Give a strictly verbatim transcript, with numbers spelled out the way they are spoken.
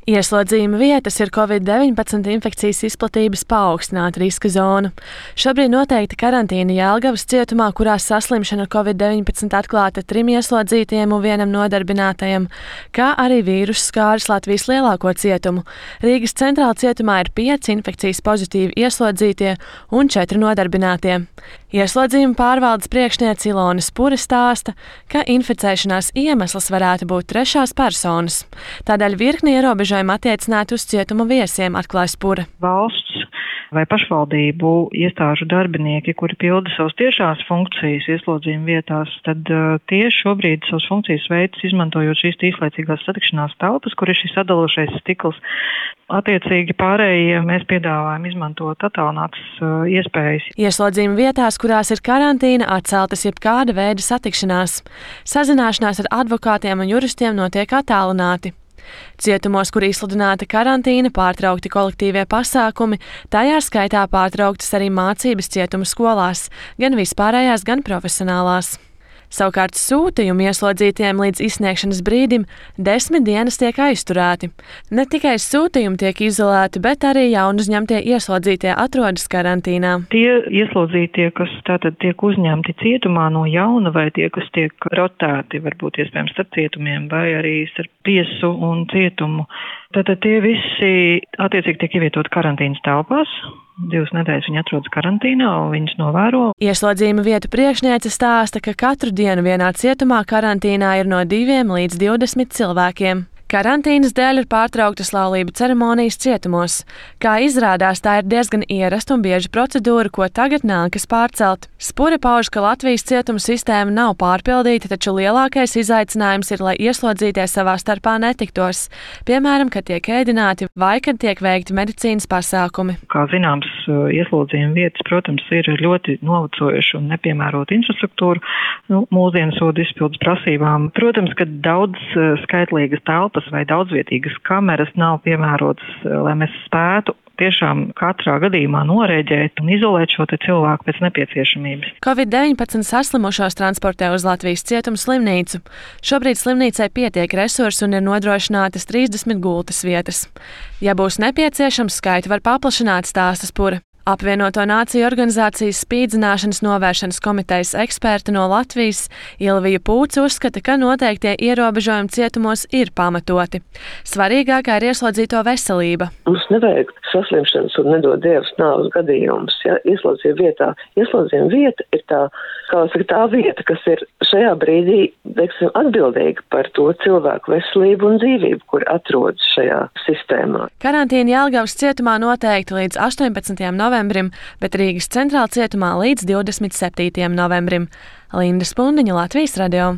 Ieslodzījuma vietas ir covid deviņpadsmit infekcijas izplatības paaugstināta riska zona. Šobrīd noteikta karantīna Jelgavas cietumā, kurā saslimšana ar covid deviņpadsmit atklāta trim ieslodzītajiem un vienam nodarbinātajam, kā arī vīrusu skāris Latvijas lielāko cietumu. Rīgas centrāla cietumā ir pieci infekcijas pozitīvi ieslodzītie un četri nodarbinātie. Ieslodzījuma pārvaldes priekšniece Ilona Spure stāsta, ka inficēšanās iemesls varētu būt trešās personas. Tādēļ virkni ierobežojumi attiecināti uz cietuma viesiem, atklāja Spure. Valsts vai pašvaldību iestāžu darbinieki, kuri pilda savas tiešās funkcijas ieslodzījuma vietās, tad uh, tie šobrīd savas funkcijas veids izmantojot šīs īslaicīgās satikšanās telpas, kur ir šis sadalošais stikls. Attiecīgi pārējie mēs piedāvājam izmantot attālinātas uh, iespējas. Ieslodzījuma vietās, kurās ir karantīna, atceltas jebkāda veida satikšanās. Sazināšanās ar advokātiem un juristiem notiek attālināti. Cietumos, kur izsludināta karantīna, pārtraukti kolektīvie pasākumi, tajā skaitā pārtrauktas arī mācības cietuma skolās, gan vispārējās, gan profesionālās. Savukārt sūtījumi ieslodzītiem līdz izsniegšanas brīdim desmit dienas tiek aizturēti. Ne tikai sūtījumi tiek izolēti, bet arī jaunuzņemtie ieslodzītie atrodas karantīnā. Tie ieslodzītie, kas tātad tiek uzņemti cietumā no jauna, vai tie, kas tiek rotēti, varbūt iespējams starp cietumiem, vai arī starp tiesu un cietumu, tātad tie visi attiecīgi tiek ievietoti karantīnas telpās. Divas nedēļas viņi atrodas karantīnā un viņus novēro. Ieslodzījuma vietu priekšniece stāsta, ka katru dienu vienā cietumā karantīnā ir no diviem līdz divdesmit cilvēkiem. Karantīnas dēļ ir pārtrauktas laulību ceremonijas cietumos. Kā izrādās, tā ir diezgan ierasta un bieža procedūra, ko tagad nākas pārcelt. Spure pauž, ka Latvijas cietuma sistēma nav pārpildīta, taču lielākais izaicinājums ir, lai ieslodzītie savā starpā netiktos. Piemēram, kad tiek ēdināti vai kad tiek veikti medicīnas pasākumi. Kā zināms, ieslodzījuma vietas, protams, ir ļoti novecojuši un nepiemērota infrastruktūra nu, mūsdienu sodu izpildes prasībām. Protams, ka daudz skaitlīgas telpas vai daudzvietīgas kameras nav piemērotas, lai mēs spētu tiešām katrā gadījumā norēģēt un izolēt šo te cilvēku pēc nepieciešamības. covid deviņpadsmit saslimušos transportē uz Latvijas cietuma slimnīcu. Šobrīd slimnīcai pietiek resursu un ir nodrošinātas trīsdesmit gultas vietas. Ja būs nepieciešams, skaitu var paplašināt, stāsta Spure. Apvienoto Nāciju organizācijas spīdzināšanas novēršanas komitejas eksperta no Latvijas Ilvija Pūce uzskata, ka noteiktie ierobežojumi cietumos ir pamatoti. Svarīgākā ir ieslodzīto veselība. Mums nevajag saslimšanas un nedod Dievs nāves gadījumus. Ja? Ieslodzījuma vietā. Ieslodzījuma vieta ir tā, kā saka, tā vieta, kas ir šajā brīdī, teiksim, atbildīga par to cilvēku veselību un dzīvību, kur atrodas šajā sistēmā. Karantīna Jelgavas cietumā noteikti līdz astoņpadsmitajam novembrim, bet Rīgas centrāla cietumā līdz divdesmit septītajam novembrim. Linda Spundiņa, Latvijas radio.